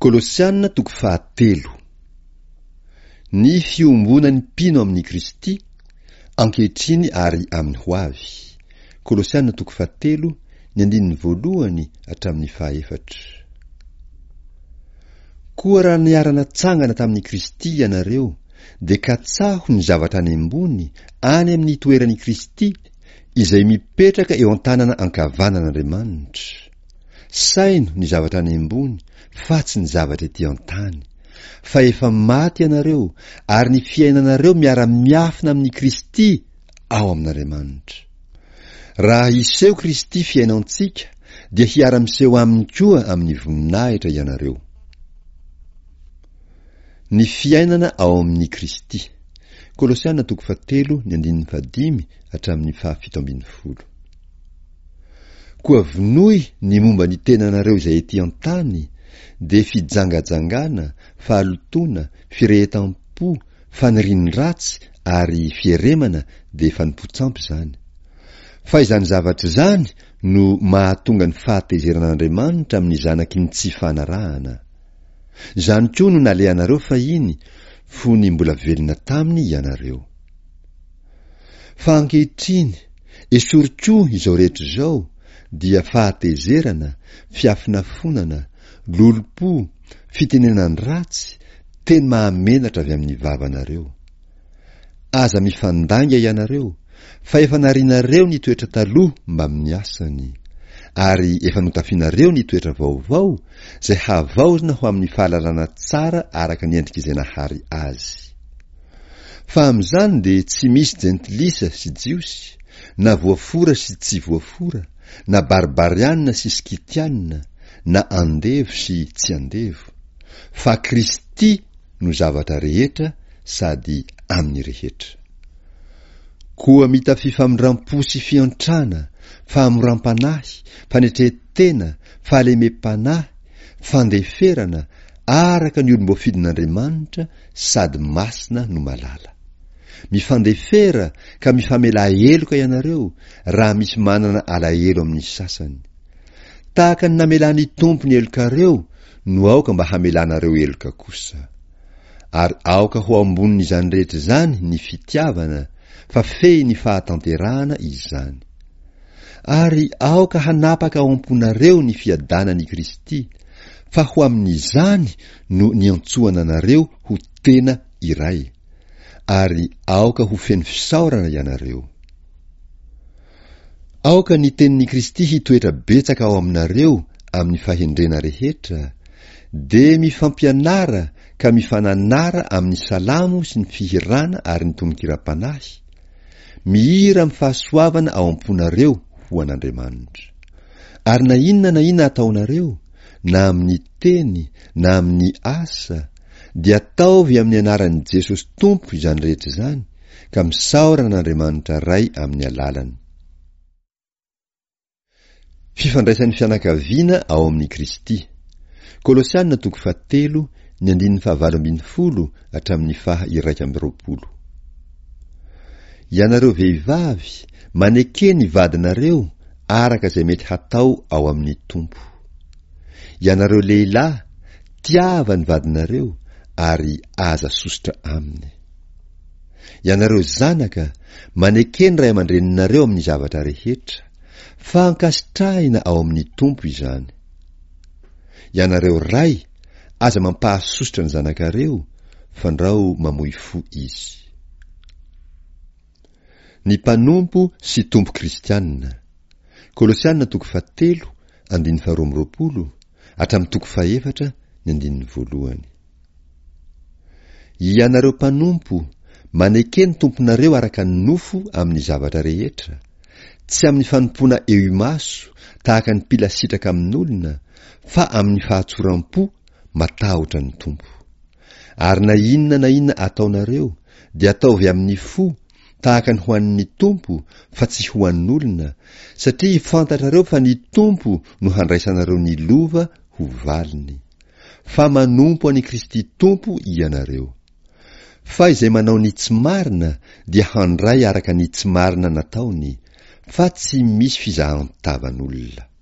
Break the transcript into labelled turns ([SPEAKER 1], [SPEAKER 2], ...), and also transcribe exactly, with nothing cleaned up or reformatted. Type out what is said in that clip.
[SPEAKER 1] Kolosiana toko fahatelo. Ny fiombonan'ny mpino amin'i Kristy, ankehitriny ary amin'ny ho avy. Kolosiana toko fahatelo, ny andininy voalohany hatramin'ny fahaefatra. Koa raha niara-natsangana tamin'i Kristy ianareo, dia katsaho ny zavatra any ambony, any amin'ny toeran'i Kristy, izay mipetraka eo an-tanana ankavanan'Andriamanitra. Saino ny zavatra any ambony, fa tsy ny zavatra ety an-tany. Fa efa maty ianareo, ary ny fiainanareo miara-miafina amin'i Kristy ao amin'Andriamanitra. Raha hiseho Kristy fiainantsika, dia hiara-miseho aminy koa amin'ny voninahitra ianareo. Ny fiainana ao amin'i Kristy. Kolosiana toko fahatelo, ny andininy fahadimy hatramin'ny fahafito ambin'ny folo. Koa vonoy ny momba ny tenanareo izay ety an-tany, dia fijangajangana, fahalotoana, firehetam-po, fanirian-dratsy ary fieremana dia fanompoan-tsampy izany. Fa izany zavatra izany no mahatonga ny fahatezeran'Andriamanitra amin'ny zanaky ny tsy fanarahana. Izany koa no nalehanareo fahiny, fony mbola velona taminy ianareo. Fa ankehitriny, esory koa izao rehetra izao, dia fahatezerana, fiafonafonana, lolompo, fitenenan-dratsy, teny mahamenatra avy amin'ny vavanareo. Aza mifandainga ianareo, fa efa narianareo ny toetra taloha mbamin'ny asany, ary efa notafianareo ny toetra vaovao, izay havaozina ho amin'ny fahalalana tsara araka ny endrik'izay nahary azy. Fa amin'izany dia tsy misy jentilisa sy jiosy, na voafora sy tsy voafora, na barbariana sy skitiana, na andevo sy tsy andevo, fa Kristy no zavatra rehetra sady amin'ny rehetra. Koa mitafia famindram-po sy fiantrana, fahamoram-panahy, fanetren-tena, fahalemem-panahy, fandeferana, araka ny olom-boafidin'Andriamanitra sady masina no malala. Mifandefera ka mifamelà heloka ianareo raha misy manana alahelo amin'ny sasany. Tahaka ny namelan'ny Tompo ny helokareo no aoka mba hamelanareo heloka kosa. Ary aoka ho ambonin'izany rehetra izany ny fitiavana, fa fehin'ny fahatanterahana izany. Ary aoka hanapaka ao am-ponareo ny fiadanan'i Kristy, fa ho amin'izany no niantsoana anareo ho tena iray, ary aoka ho feno fisaorana ianareo. Aoka ny tenin'i Kristy hitoetra betsaka ao aminareo amin'ny fahendrena rehetra, dia mifampianara ka mifananara amin'ny salamo sy ny fihirana ary ny tononkiram-panahy, mihira amin'ny fahasoavana ao am-ponareo ho an'Andriamanitra. Ary na inona na inona ataonareo, na amin'ny teny na amin'ny asa, dia ataovy amin'ny anaran'i Jesosy Tompo izany rehetra izany, ka misaora an'Andriamanitra Ray amin'ny alalany. Fifandraisan'ny fianakaviana ao amin'i Kristy. Kolosiana toko fahatelo, ny andininy fahavalo ambin'ny folo hatramin'ny faha iraika amby roapolo. Ianareo vehivavy, maneke ny vadinareo araka izay mety hatao ao amin'ny Tompo. Ianareo lehilahy, tiava ny vadinareo ary aza sosotra aminy. Ianareo zanaka, maneke ny ray aman-dreninareo amin'ny zavatra rehetra, fa ankasitrahina ao amin'ny Tompo izany. Ianareo ray, aza mampahasosotra ny zanakareo, fandrao mamoy fo izy. Ny mpanompo sy tompo kristianina. Kolosiana toko fahatelo, andininy faharoa amby roapolo, hatramin'ny toko fahefatra, ny andininy voalohany. Ianareo mpanompo, maneke ny tomponareo araka ny nofo amin'ny zavatra rehetra, tsy amin'ny fanompoana eo imaso tahaka ny mpila sitraka amin'olona, fa amin'ny fahatsoram-po matahotra ny Tompo. Ary na inona na inona ataonareo, dia ataovy amin'ny fo, tahaka ny ho an'ny Tompo, fa tsy ho an'olona, satria fantatrareo fa ny Tompo no handraisanareo ny lova ho valiny. Fa manompo an'i Kristy Tompo ianareo. Fa izay manao ny tsy marina dia handray araka ny tsy marina nataony, fa tsy misy fizahan-tavan'olona.